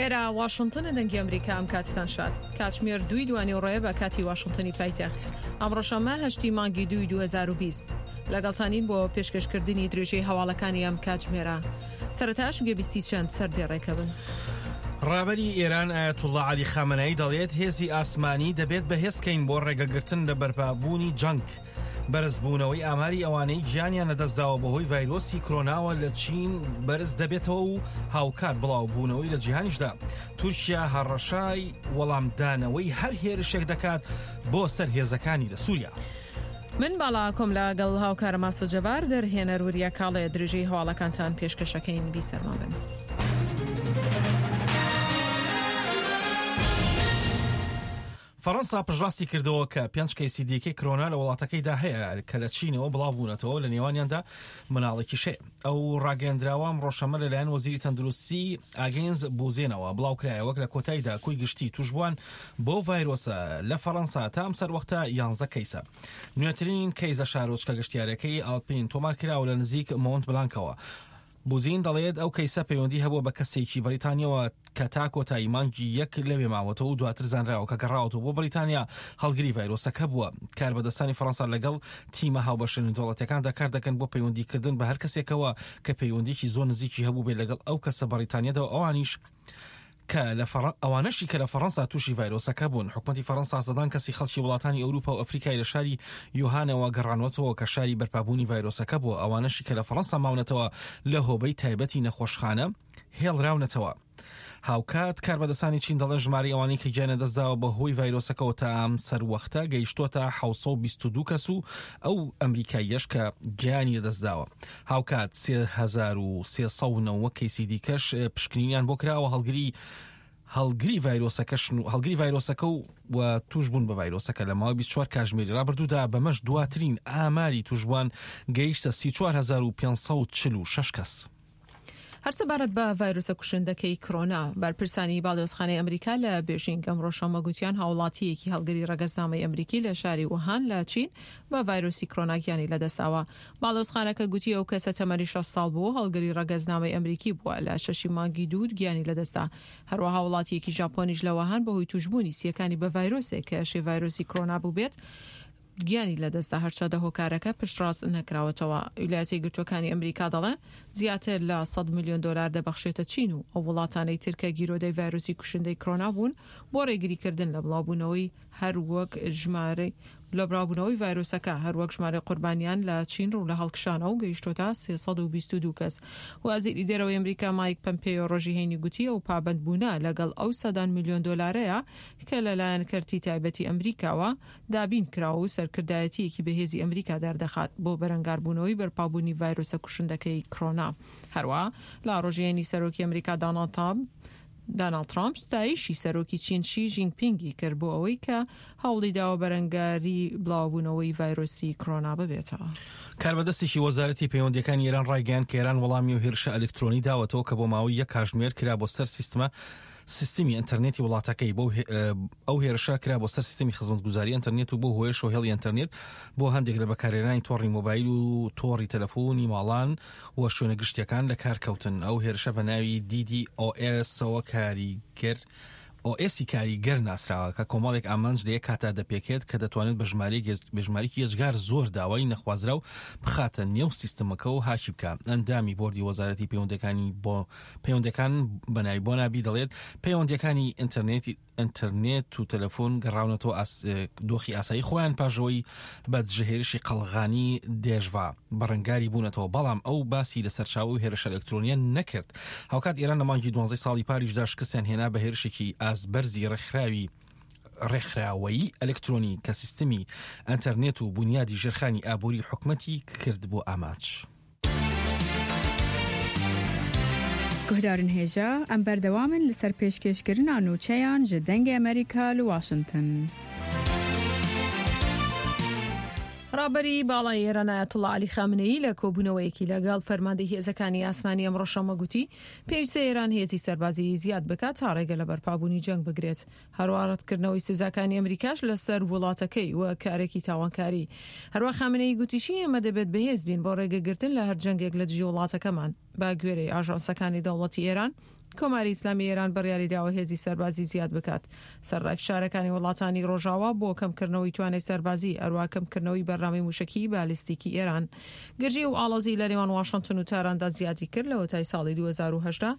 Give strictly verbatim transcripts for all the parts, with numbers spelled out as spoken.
ئێرە واشنتنە، دەنگی ئەمریکا. ئەم کاتتان شاد. کاتژمێر دووی دوانیوەڕۆیە بە کاتی واشنتنی پایتەخت. ئەمڕۆ شەممە هەشتی مانگی دووی دوو هەزار و بیست. لەگەڵتانین بۆ پێشکەشکردنی درێژەی هەواڵەکانی ئەم کاتژمێرە. سەرەتاش گوێبیستی چەند سەردێڕێکە بن. ڕابەری ئێران ئایەتوڵڵا عەلی خامنەیی دەڵێت هێزی ئاسمانی دەبێت بەهێزکەین بۆ ڕێگەگرتن لە بەرپابوونی جەنگ. بەرزبوونەوەی ئاماری ئەوانەی گیانیان لەدەستداوە بەهۆی ڤایرۆسی کرۆناوە لە چین بەرز دەبێتەوە و هاوکات بڵاوبوونەوەی لە جیهانیشدا. تورکیا هەڕەشای وەڵامدانەوەی هەر هێرشێک دەکات بۆ سەر هێزەکانی لە سووریا. من باڵا کۆم لەگەڵ هاوکارە ماسۆ جەبار، دەرهێنەر وریا کاڵێ، درێژەی هەواڵەکانتان پێشکەشەکەین. بیسەرمان بن. فەڕەنسا پشتڕاستی کردەوە کە پێنج کەیسی دیکەی کرۆنا لە وڵاتەکەیدا هەیە کە لە چینەوە بڵاو بوونەتەوە، لە نێوانیاندا مناڵێکیش هەیە. ئەو ڕاگەیەندراوە ئەمڕۆ شەممە لەلایەن وەزیری تەندروستی ئاگێنز بوزێنەوە بڵاوکرایەوە لە کۆتاییدا کۆی گشتی توشبووان بۆ ڤایرۆسە لە فەڕەنسا تا ئەم سەروەختە یانزە کەیسە. نوێترین کەیس لە شارۆچکە گەشتیارەکەی ئالپین تۆمار کراوە لە نزیک مۆنت بلانکەوە. بوزین دەڵێت ئەو کەیسە پەیوەندی هەبووە بە کەسێکی بەریتانیەوە کە تا کۆتایی مانگی یەک لەوێ ماوەتەوە و دواتر زانراوە کە گەڕاوەتەوە بۆ بەریتانیا هەڵگری ڤایرۆسەکە بووە. کاربەدەستانی فەڕەنسا لەگەڵ تیمە هاوبەشە نێودەوڵەتیەکاندا کار دەکەن بۆ پەیوەندیکردن بە هەر کەسێکەوە کە پەیوەندیکی زۆر نزیکی هەبوو بێت لەگەڵ ئەو کەسە بەریتانیادا و ئەوانیش کە لە ئەوانەشی کە لە فەڕەنسا تووشی ڤایرۆسەکە بوون. حکومەتی فەڕەنسا سەدان کەسی خەڵکی وڵاتانی ئەوروپا و ئەفریکای لە شاری یوهانەوە گەڕانوەتەوە کە شاری بەرپابوونی ڤایرۆسەکە بووە. ئەوانەشی کە لە فەڕەنسا ماونەتەوە لە هۆبەی تایبەتی نەخۆشخانە هێڵراونەتەوە. هاوکات کاربەدەستانی چین دەڵێن ژمارەی ئەوانەی کە گیانیان دەستداوە بەهۆی ڤایرۆسەکەوە تا ئەم سەروەختە گەیشتۆتە حەوت سەد و بیست و دوو کەس و ئەو ئەمریکاییەش کە گیانی لەدەستداوە. هاوکات سێ هەزار و سێ سەد و نەوە کەیسی دیکەش پشکنینیان بۆ کراوە هەڵگری هەڵگری ڤایرۆسەکەشن و هەڵگری ڤایرۆسەکە و و توش بوون بە ڤایرۆسەکە لە ماوەی بیست و چوار کاتژمێری ڕابردوودا. بەمەش دواترین ئاماری توشبووان گەیشتە سی و چوار هەزار و پێنج سەد و چل و شەش کەس. هەر سەبارەت بە ڤایرۆسە کوشندەکەی کرۆنا، بەرپرسانی باڵیۆزخانەی ئەمریکا لە بێژینگ ئەمڕۆ شەممە گوتیان هاوڵاتییەکی هەڵگری ڕەگەزنامەی ئەمریکی لە شاری ووهان لە چین بە ڤایرۆسی کرۆنا گیانی لەدەستداوە. باڵیۆزخانەکە گوتی ئەو کەسە تەمەنی شەست ساڵ بوو، هەڵگری ڕەگەزنامەی ئەمریکی بووە، لە شەشی مانگی دوو گیانی لەدەستدا. هەروەها هاوڵاتییەکی ژاپۆنیش لە ووهان بەهۆی توشبوونی سیەکانی بە ڤایرۆسێک کە ئەشێ ڤایرۆسی کرۆنا بووبێت گیانی لەدەستدا، هەرچەندە هۆکارەکە پشتڕاست نەکراوەتەوە. ویلایەتە یەکگرتووەکانی ئەمریکا دەڵێن زیاتر لە سەد ملیۆن دۆلار دەبەخشێتە چین و ئەو وڵاتانەی تر کە گیرۆدەی ڤایرۆسی کوشندەی کرۆنا بوون بۆ ڕێگریکردن لە بڵاوبوونەوەی هەر وەک ژمارەی لە بڵاوبوونەوەی ڤایرۆسەکە هەروەک ژمارەی قوربانیان لە چین ڕوو لە هەڵکشانە و گەیشتۆتە سێ سەد و بیست و دوو کەس. وەزیری دەرەوەی ئەمریکا مایک پەمپێیۆ ڕۆژی هەینی گوتی ئەو پابەندبوونە لەگەڵ ئەو سەدان ملیۆن دۆلارەیە کە لەلایەن کەرتی تایبەتی ئەمریکاوە دابین کراوە و سەرکردایەتیەکی بەهێزی ئەمریکا دەردەخات بۆ بەرەنگاربوونەوەی بەرپابوونی ڤایرۆسە کوشندەکەی کرۆنا. هەروە لە ڕۆژی هەینی سەرۆکی ئەمریکا داناڵد ترامپ داناڵد ترامپ ستایشی سەرۆکی چین شی ژینپینگی کرد بۆ ئەوەی کە هەوڵی داوە بەرەنگاری بڵاوبوونەوەی ڤایرۆسی کرۆنا ببێتەوە. کاربەدەستێکی وەزارەتی پەیوەندیەکانی ئێران ڕایگەیاند کە ئێران وەڵامی و هێرشە ئەلکترۆنی داوەتەوە کە بۆ ماوەی یەک کاتژمێر کرا بۆ سەر سیستمە سیستمی ئینتەرنێتی وڵاتەکەی. بۆ ئەو هێرشە کرا بۆ سەر سیستمی خزمەتگوزاری ئینتەرنێت و بۆ هۆیەشەوە هێڵی ئینتەرنێت بۆ هەندێک لە بەکارهێنانی تۆڕی مۆبایل و تۆڕی تەلەفۆنی ماڵان و شوێنە گشتیەکان لە کار کەوتن. ئەو هێرشە بە ناوی دی دی ئۆ ئێسەوە کاریگەر ئۆ ئێسی کاریگەر ناسراوە کە کۆمەڵێک ئامانج لە یەک کاتا دەپێکێت کە دەتوانێت بە ژمارەیەکی یەجگار زۆر داوای نەخوازراو بخاتە نێو سیستمەکە و هاکی بکە. ئەندامی بۆردی وەزارەتی پەیوەندەکانی بۆ پەیوەندەکان بەناوی بۆنابی دەڵێت پەیوەندیەکانی ئینتەرنێتی ئینتەرنێت و تەلەفۆن گەڕاونەتەوە دۆخی ئاسایی خۆیان پاژەوەی بە دژەهێرشی قەڵغانی دێژڤا بەڕەنگاری بوونەتەوە، بەڵام ئەو باسی لە سەرچاوە و هێرشە ئەلکترۆنیە نەکرد. هاوکات ئێران لە مانگی دوانزەی ساڵی پاریشدا شکستیان هێنا بە هێرشێکی ئازبەرزی ڕێکخراوی ڕێکخراوەیی ئەلکترۆنی کە سیستمی ئینتەرنێت و بونیادی ژێرخانی ئابووری حکومەتی کرد بۆ ئامانج. گوهدارن هێژا ئەم بەردەوامن لەسەر پێشکێشکردنا نوچەیان ji دەنگê ئەمریکا لە واشنگتن. ڕابەری باڵای ئێران ئایەتوڵڵا عەلی خامنەیی لە کۆبوونەوەیەکی لەگەڵ فەرماندەی هێزەکانی ئاسمانی ئەمڕۆ شەممە گوتی پێویستە ئێران هێزی سەربازی زیاد بکات تا ڕێگە لە بەرپابوونی جەنگ بگرێت. هەروە ڕەتکردنەوەی سزاکانی ئەمریکاش لەسەر وڵاتەکەی و کارێکی تاوانکاری. هەروە خامنەیی گوتیشی ئێمە دەبێت بەهێز بین بۆ ڕێگەگرتن لە هەر جەنگێک لە دژی وڵاتەکەمان. بە گوێرەی ئاژانسەکانی دەوڵەتی ئێران کۆماری ئیسلامی ئێران بڕیاری داوە هێزی سەربازی زیاد بکات سەرڕای فشارەکانی وڵاتانی ڕۆژاوا بۆ کەمکردنەوەی توانای سەربازی، هەروەها کەمکردنەوەی بەرنامەی موشەکی بالیستیکی ئێران. گرژی و ئاڵۆزی لە نێوان واشنتن و تاراندا زیادی کرد لەوەتای ساڵی دوو هەزار و هەژدە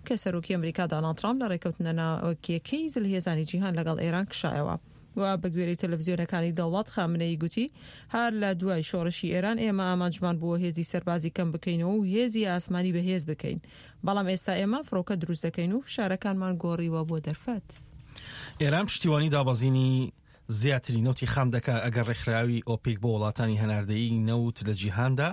کە سەرۆکی ئەمریکا داناڵد ترامپ لە ڕێککەوتنە ناوکییەکەی زلهێزانی جیهان لەگەڵ ئێران کشایەوە. و بە گوێرەی تەلەڤزیۆنەکانی دەوڵەت خامنەیی گوتی هەر لە دوای شۆڕشی ئێران ئێمە ئامانجمان بووە هێزی سەربازی کەم بکەینەوە و هێزی ئاسمانی بەهێز بکەین، بەڵام ئێستا ئێمە فڕۆکە دروست دەکەین و فشارەکانمان گۆڕیوە بۆ دەرفەت. ئێران پشتیوانی دابەزینی زیاتری نەوتی خام دەکات ئەگەر ڕێکخراوی ئۆپیک بۆ وڵاتانی هەناردەیی نەوت لە جیهاندا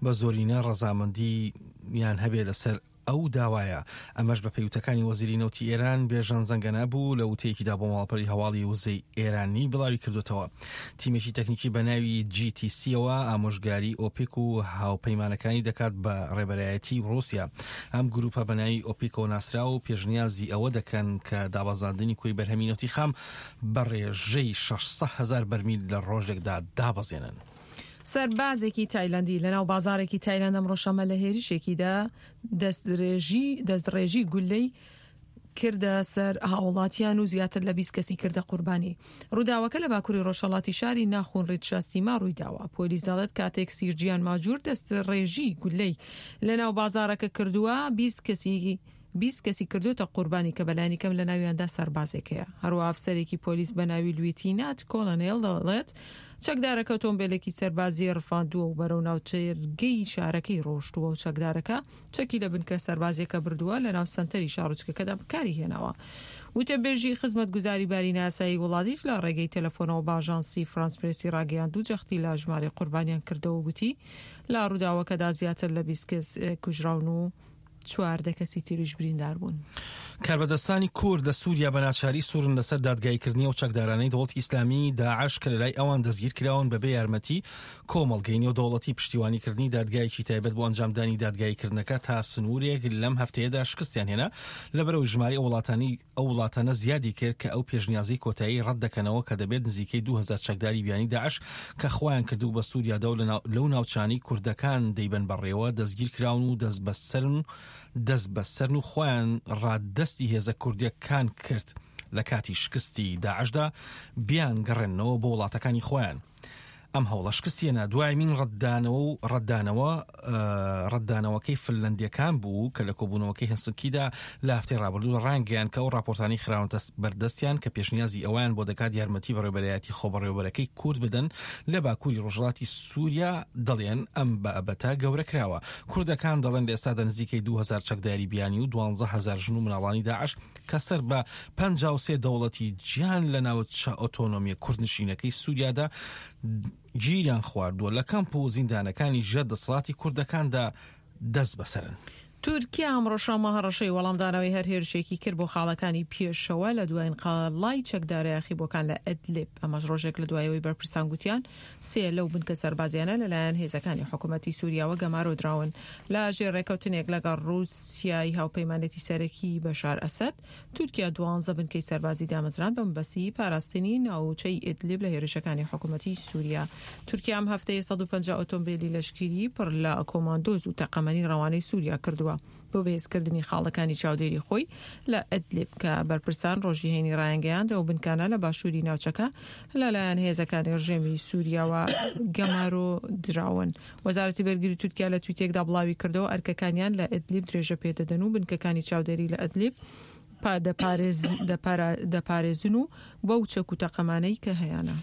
بە زۆرینە ڕەزامەندییان هەبێت لەسەر ئەو داوایە. ئەمەش بە پێیوتەکانی وەزیری نەوتی ئێران بێژەن زەنگەنە بوو لە وتەیەکیدا بۆ ماڵپەری هەواڵی وزەی ئێرانی بڵاوی کردوتەوە. تیمێکی تەکنیکی بە ناوی جی تی سیەوە ئامۆژگاری ئۆپیک و هاوپەیمانەکانی دەکات بە ڕێبەرایەتی ڕووسیا. ئەم گروپە بە ناوی ئۆپیکەوە ناسرا و پێشنیازی ئەوە دەکەن کە دابەزاندنی کۆی بەرهەمی نەوتی خام بە ڕێژەی شەش سەد هەزار بەرمیل لە ڕۆژێکدا دابەزێنن. سەربازێکی تایلندی لەناو بازارێکی تایلند ئەمڕۆ شەممە لە هێرشێکیدا دەستڕێژی دەستڕێژی گولەی کردە سەر هاوڵاتیان و زیاتر لە بیست کەسی کردە قوربانی. ڕووداوەکە لە باکووری ڕۆژهەڵاتی شاری ناخون ڕیتشاستیما ڕوویداوە. پۆلیس دەڵێت کاتێک سیرجیان ماجور دەستڕێژی گولەی لەناو بازارەکە کردووە بیست کەسی بیست کەسی کردوتە قوربانی کە بەلانی کەم لە ناویاندا سەربازێک هەیە. هەروەها ئەفسەرێکی پۆلیس بە ناوی لویتینات کۆلۆنێل دەڵێت چەکدارەکە ئۆتۆمبیلێکی سەربازی ڕفاندووە و بەرەو ناوچەرگەی شارەکەی ڕۆشتووە و چەکدارەکە چەکی لە بنکە سەربازیەکە بردووە لە ناو سەنتەری شارۆچکەکەدا بەکاری هێناوە. وتەبێژی خزمەتگوزاری باری ناسایی وڵاتیش لە ڕێگەی تەلەفۆنەوە بە ئاژانسی فرانس پرێسی ڕاگەیاند و جەختی لە ژمارەی قوربانیان کردەوە و گوتی لە ڕووداوەکەدا زیاتر لە بیست کەس کوژراون و چواردە کەسی تریش بریندار بوون. کاربەدەستانی کورد لە سووریا بە ناچاری سوورن لەسەر دادگاییکردنی ئەو چەکدارانەی دەوڵەتی ئیسلامی داعش کە لەلای ئەوان دەستگیر کراون بەبێ یارمەتی کۆمەڵگەی نێودەوڵەتی. پشتیوانیکردنی دادگایەکی تایبەت بۆ ئەنجامدانی دادگاییکردنەکە تا سنوورێک لەم هەفتەیەدا شکستیان هێنا لەبەرەوەی ژمارەی ئەو وڵاتانی ئەو وڵاتانە زیادی کرد کە ئەو پێشنیازەی کۆتایی ڕەت دەکەنەوە کە دەبێت نزیکەی دوو هەزار چەکداری بیانی داعش کە خۆیان کردو بە سووریادا و لەو ناوچانەی کوردەکان دەیبەن بەڕێوە دەستگیر کراون و دەست بەسەرن دەست بەسەرن و خۆیان ڕادەستی هێزە کوردیەکان کرد لە کاتی شکستی داعشدا بیان گەڕێنەوە بۆ وڵاتەکانی خۆیان. ئەم هەوڵە شکستیەنە دوایمین ڕەتدانەوە و ڕەتدانەوە ڕەتدانەوەکەی فنلندیەکان بوو کە لە کۆبوونەوەکەی هێلسنکیدا لە هەفتەی ڕابردوو ڕانگەیان کە ئەو راپۆرتانەی خراونەتە بەردەستیان کە پێشنیازی ئەویان بۆ دەکات یارمەتی بەڕێوەبەرایەتی خۆبەڕێوەبەرەکەی کورد بدەن لە باکووری ڕۆژهەڵاتی سووریا دەڵێن ئەم بابەتە گەورە کراوە. کوردەکان دەڵێن لە ئێستادا نزیکەی دوو هەزار چەکداری بیانی و دوانزە هەزار ژن و مناڵانی داعش کە سەر بە پەنجا و سێ دەوڵەتی جیهان لە ناوچە ئۆتۆنۆمیە کوردنشینەکەی سووریادا گیریان خواردووە لە کەمپ و زیندانەکانی ژێر دەسەڵاتی کوردەکاندا دەست بەسەرن. تورکیا ئەمڕۆ شەممە هەڕەشەی وەڵامدانەوەی هەر هێرشێکی کرد بۆ خاڵەکانی پێشەوە لە دوایین قەڵای چەکدارە یاخیبووەکان لە ئەدلیب. ئەمەش ڕۆژێک لە دوایەوەی بەرپرسان گوتیان سێ لەو بنکە سەربازیانە لەلایەن هێزەکانی حکوومەتی سووریاوە گەمارۆ دراون لە ژێر ڕێکەوتنێک لەگەڵ ڕووسیای هاوپەیمانێتی سەرەکی بەشار ئەسەد. تورکیا دوانزە بنکەی سەربازی دامەزراند بە مەبەستی پاراستنی ناوچەی ئیدلیب لە هێرشەکانی حکوومەتی سووریا. تورکیا ئەم هەفتەیە سەد و پەنجا ئۆتۆمبیلی لەشکری پڕ لە کۆماندۆز و تەقەمەنی ڕەوانەی سووریا کردووە بۆ بەهێزکردنی خاڵەکانی چاودێری خۆی لە ئەدلیب کە بەرپرسان ڕۆژی هەینی ڕایانگەیاند ئەو بنکانە لە باشووری ناوچەکە لەلایەن هێزەکانی ڕژێمی سووریاوە گەمارۆ دراون. وەزارەتی بەرگری تورکیا لە تویتێکدا بڵاوی کردەوە ئەرکەکانیان لە ئەدلیب درێژە پێدەدەن و بنکەکانی چاودێری لە ئەدلیب دەپارێزن و بەو چەک و تەقەمانەی کە هەیانە.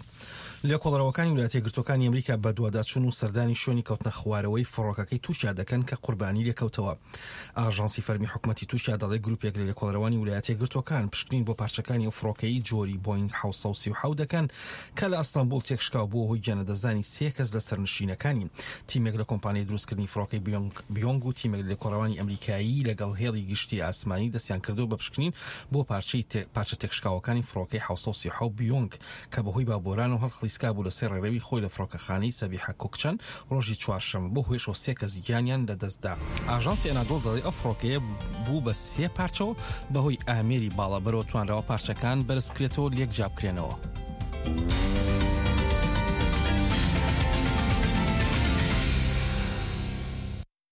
لێکۆڵەرەوەکانی ویلایەتە یەکگرتووەکانی ئەمریکا بەدواداچوون و سەردانی شوێنی کەوتنە خوارەوەی فڕۆکەکەی تورکیا دەکەن کە قوربانی لێکەوتەوە. ئاژانسی فەرمی حکوومەتی تورکیا دەڵێ گروپێک لە لێکۆڵەرەوانی ویلایەتە یەکگرتووەکان پشکنین بۆ پارچەکانی ئەو فڕۆکەی جۆری بۆینگ حەوت سەد و سی و حەوت دەکەن کە لە ئەستەنبوڵ تێکشکاو بووە هۆی گیانلەدەستدانی سێ کەس لە سەرنشینەکانی. تیمێک لە کۆمپانیای دروستکردنی فڕۆکەی بیۆنگ و تیمێک لە لێکۆڵەرەوانی ئەمریکایی لەگەڵ هێڵی گشتی ئاسمانی دەستیان کردەوە بە پشکنین بۆ پارچە تێکشکاوەکانی فڕۆکەی حەوت سەد و سی و حەوت بیۆنگ کە بەهۆی بابۆران و هەڵخلیسکا بوو لەسەر ڕێڕەوی خۆی لە فڕۆکەخانەی سەبیحە کوکچەن ڕۆژی چوارشەممە بۆ هۆیشەوە سێ کەس گیانیان لەدەستدا. ئاژانسی ئەنادۆڵ دەڵێ ئەو فڕۆکەیە بوو بە سێ پارچەوە بەهۆی ئامێری باڵابەرەوە توانراوە پارچەکان بەرز بکرێتەوە لێک جا بکرێنەوە.